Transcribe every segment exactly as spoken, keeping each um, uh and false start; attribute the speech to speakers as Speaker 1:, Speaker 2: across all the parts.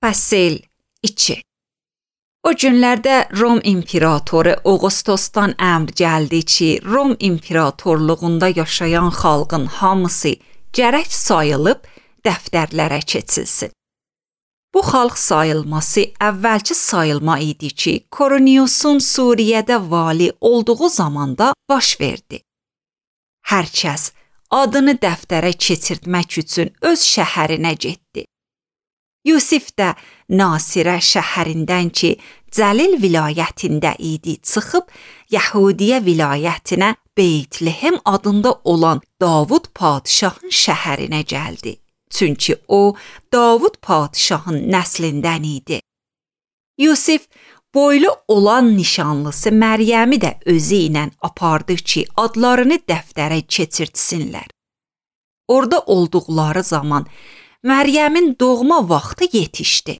Speaker 1: Fəsil iki. O günlərdə Rom imperatoru Augustosdan əmr gəldi ki, Rom imperatorluğunda yaşayan xalqın hamısı gərək sayılıb dəftərlərə keçilsin. Bu xalq sayılması əvvəlki sayılma idi ki, Korneliusun Suriyədə vali olduğu zamanda baş verdi. Hər kəs adını dəftərə keçirtmək üçün öz şəhərinə getdi. Yusif də Nasirə şəhərindən ki, Cəlil vilayətində idi, çıxıb Yahudiyə vilayətinə Beytlehem adında olan Davud padişahın şəhərinə gəldi. Çünki o, Davud padişahın nəslindən idi. Yusif boylu olan nişanlısı Məryəmi də özü ilə apardı ki, adlarını dəftərə keçirtsinlər. Orada olduqları zaman Məryəmin doğma vaxtı yetişdi.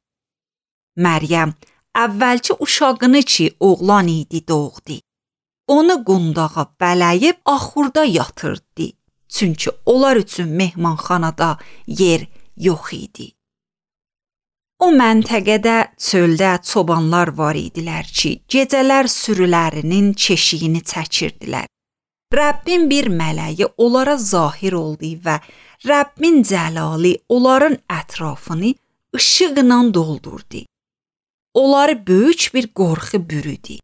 Speaker 1: Məryəm əvvəlki uşağını ki, oğlan idi doğdu. Onu qundağa bələyib axurda yatırdı. Çünki onlar üçün mehmanxanada yer yox idi. O məntəqədə çöldə çobanlar var idilər ki, gecələr sürülərinin keşiyini çəkirdilər. Rəbbin bir mələyi onlara zahir oldu və Rəbbin cəlali onların ətrafını işıqla doldurdu. Onları böyük bir qorxu bürüdü.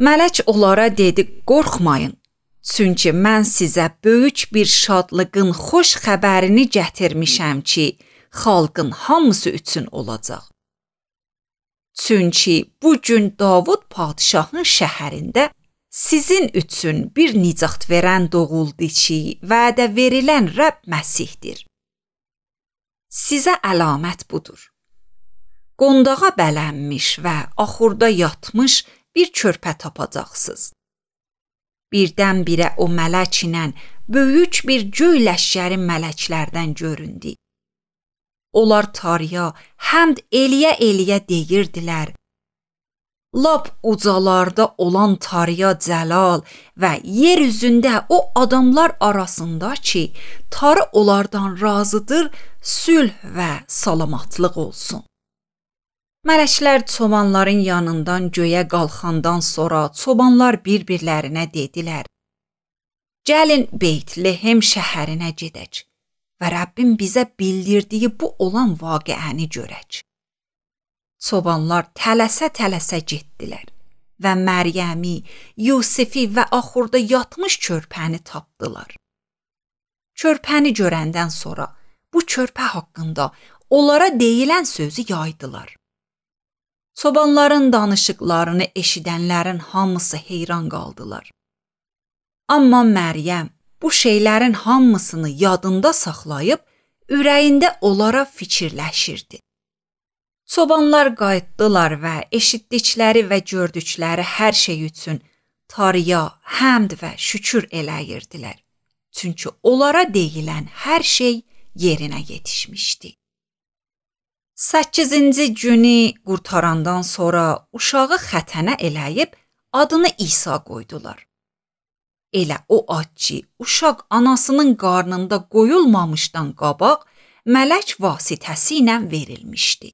Speaker 1: Mələk onlara dedi, qorxmayın, çünki mən sizə böyük bir şadlığın xoş xəbərini gətirmişəm ki, xalqın hamısı üçün olacaq. Çünki bu gün Davud padişahın şəhərində sizin üçün bir nicat verən doğuldu ki, vədə verilən Rəbb Məsihdir. Sizə əlamət budur. Qondağa bələnmiş və axurda yatmış bir körpə tapacaqsınız. Birdən-birə o mələk ilə böyük bir göy ləşkəri mələklərdən göründü. Onlar Tanrıya həmd eləyə-eləyə deyirdilər. Lap ucalarda olan Tanrıya cəlal və yer üzündə o adamlar arasında ki, Tanrı onlardan razıdır, sülh və salamatlıq olsun. Mələklər çobanların yanından göyə qalxandan sonra çobanlar bir-birlərinə dedilər. Gəlin Beytlehem şəhərinə gedək və Rəbbin bizə bildirdiyi bu olan vaqiəni görək. Çobanlar tələsə-tələsə getdilər və Məryəmi, Yusifi və axurda yatmış körpəni tapdılar. Körpəni görəndən sonra bu körpə haqqında onlara deyilən sözü yaydılar. Çobanların danışıqlarını eşidənlərin hamısı heyran qaldılar. Amma Məryəm bu şeylərin hamısını yadında saxlayıb, ürəyində onlara fikirləşirdi. Çobanlar qayıtdılar və eşitdikləri və gördükləri hər şey üçün Tanrıya həmd və şükür eləyirdilər. Çünki onlara deyilən hər şey yerinə yetişmişdi. Səkkizinci günü qurtarandan sonra uşağı xətənə eləyib adını İsa qoydular. Elə o ad ki, uşaq anasının qarnında qoyulmamışdan qabaq mələk vasitəsi ilə verilmişdi.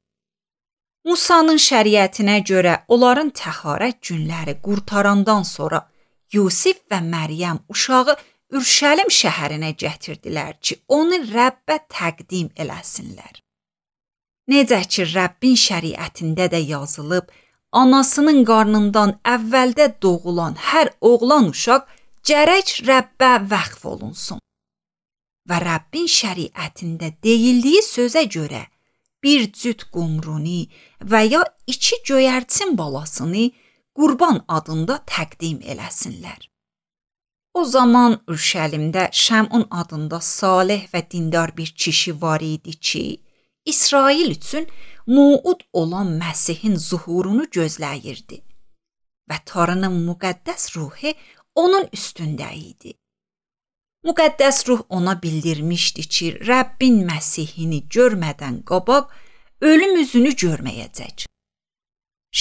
Speaker 1: Musanın şəriətinə görə onların təharət günləri qurtarandan sonra Yusif və Məryəm uşağı Ürşəlim şəhərinə gətirdilər ki, onu Rəbbə təqdim eləsinlər. Necə ki, Rəbbin şəriətində də yazılıb, anasının qarnından əvvəldə doğulan hər oğlan uşaq gərək Rəbbə vəqf olunsun. Və Rəbbin şəriətində deyildiyi sözə görə bir cüt qumruni və ya iki göyərçin balasını qurban adında təqdim eləsinlər. O zaman Ürşəlimdə Şəmun adında salih və dindar bir kişi var idi ki, İsrail üçün muud olan Məsihin zuhurunu gözləyirdi və Tanrının müqəddəs ruhu onun üstündə idi. Müqəddəs ruh ona bildirmişdi ki, Rəbbin Məsihini görmədən qabaq ölüm üzünü görməyəcək.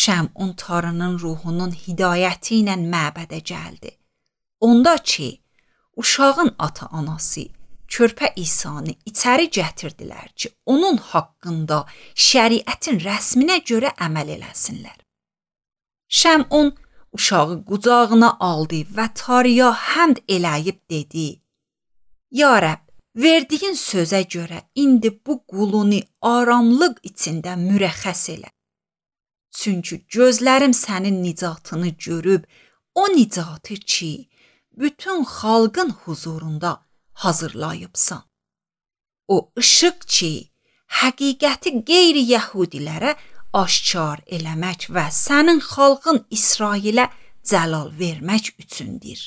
Speaker 1: Şəmun Tanrının ruhunun hidayəti ilə məbədə gəldi. Onda ki, uşağın ata-anası körpə İsanı içəri gətirdilər ki, onun haqqında şəriətin rəsminə görə əməl eləsinlər. Şəmun uşağı qucağına aldı və Tanrıya həmd eləyib dedi: Ya Rəbb, verdiyin sözə görə indi bu qulunu aramlıq içində mürəxxəs elə. Çünki gözlərim sənin nicatını görüb, o nicatı ki, bütün xalqın huzurunda hazırlayıbsan. O işıq ki, həqiqəti qeyri-yəhudilərə aşkar eləmək və sənin xalqın İsrailə cəlal vermək üçündür.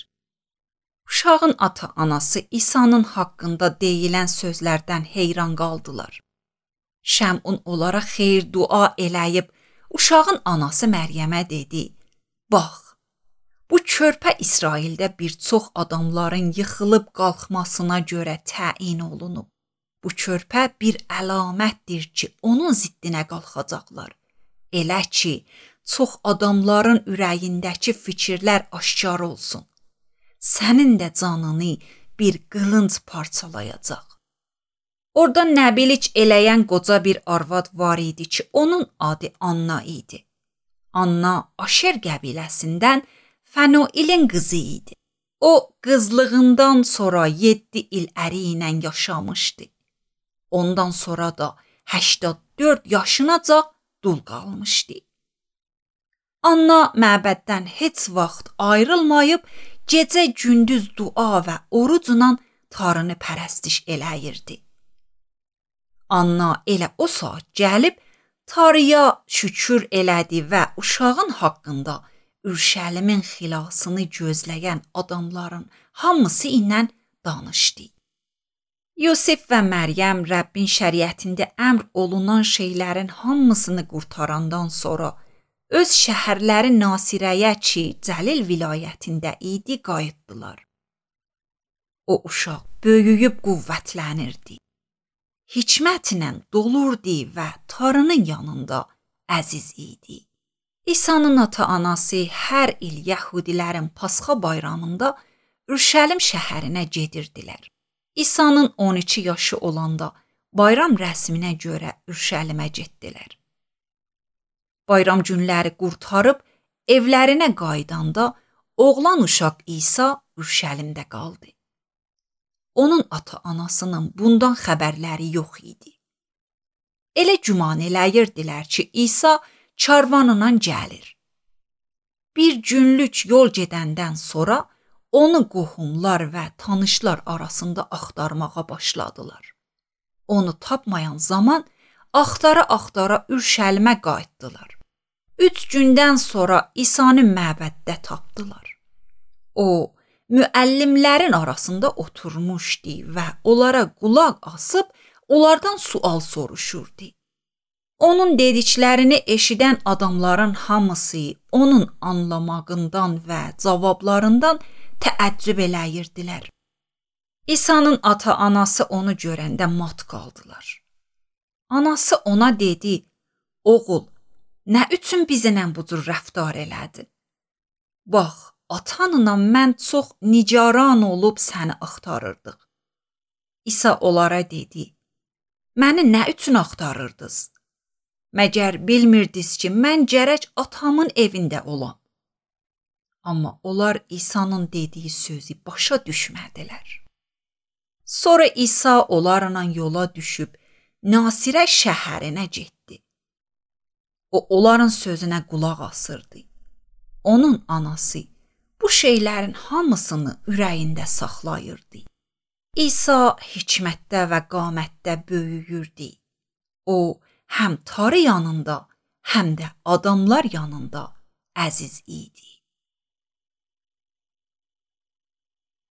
Speaker 1: Uşağın ata-anası İsa'nın haqqında deyilən sözlərdən heyran qaldılar. Şəmun onlara xeyir dua eləyib, uşağın anası Məryəmə dedi: Bax, bu körpə İsraildə bir çox adamların yıxılıb qalxmasına görə təyin olunub. Bu körpə bir əlamətdir ki, onun ziddinə qalxacaqlar. Elə ki, çox adamların ürəyindəki fikirlər aşkar olsun. Sənin də canını bir qılınc parçalayacaq. Orada nəbilik eləyən qoca bir arvad var idi ki, onun adı Anna idi. Anna Aşer qəbiləsindən Fənuilin qızı idi. O, qızlığından sonra yeddi il əri ilə yaşamışdı. Ondan sonra da səksən dörd yaşınacan dul qalmışdı. Anna məbəddən heç vaxt ayrılmayıb, gecə-gündüz dua və orucla Tanrını pərəstiş eləyirdi. Anna elə o saat gəlib Tanrıya şükür elədi və uşağın haqqında Ürşəlimin xilasını gözləyən adamların hamısı ilə danışdı. Yusif və Məryəm Rəbbin şəriətində əmr olunan şeylərin hamısını qurtarandan sonra öz şəhərləri Nasirəyə ki, Cəlil vilayətində idi, qayıtdılar. O uşaq böyüyüb qüvvətlənirdi. Hikmətlə dolurdu və Tanrının yanında əziz idi. İsa'nın ata-anası hər il Yəhudilərin Pasxa bayramında Ürşəlim şəhərinə gedirdilər. İsa'nın on iki yaşı olanda bayram rəsminə görə Ürşəlimə getdilər. Bayram günləri qurtarıb evlərinə qaydanda oğlan uşaq İsa Ürşəlimdə qaldı. Onun ata-anasının bundan xəbərləri yox idi. Elə güman eləyirdilər ki, İsa karvanla gəlir. Bir günlük yol gedəndən sonra onu qohumlar və tanışlar arasında axtarmağa başladılar. Onu tapmayan zaman axtara-axtara Ürşəlimə qayıtdılar. Üç gündən sonra İsa'nı məbəddə tapdılar. O, müəllimlərin arasında oturmuşdu və onlara qulaq asıb, onlardan sual soruşurdu. Onun dediklərini eşidən adamların hamısı onun anlamağından və cavablarından təəccüb eləyirdilər. İsa'nın ata-anası onu görəndə mat qaldılar. Anası ona dedi: Oğul, nə üçün bizimlə bu cür rəftar elədin? Bax, atanla mən çox nigaran olub səni axtarırdıq. İsa onlara dedi: Məni nə üçün axtarırdınız? Məgər bilmirdiniz ki, mən gərək atamın evində olam? Amma onlar İsa'nın dediyi sözü başa düşmədilər. Sonra İsa onlarla yola düşüb Nasirə şəhərinə getdi. O, onların sözünə qulaq asırdı. Onun anası bu şeylərin hamısını ürəyində saxlayırdı. İsa hikmətdə və qamətdə böyüyürdü. O, həm Tanrı yanında, həm də adamlar yanında əziz idi.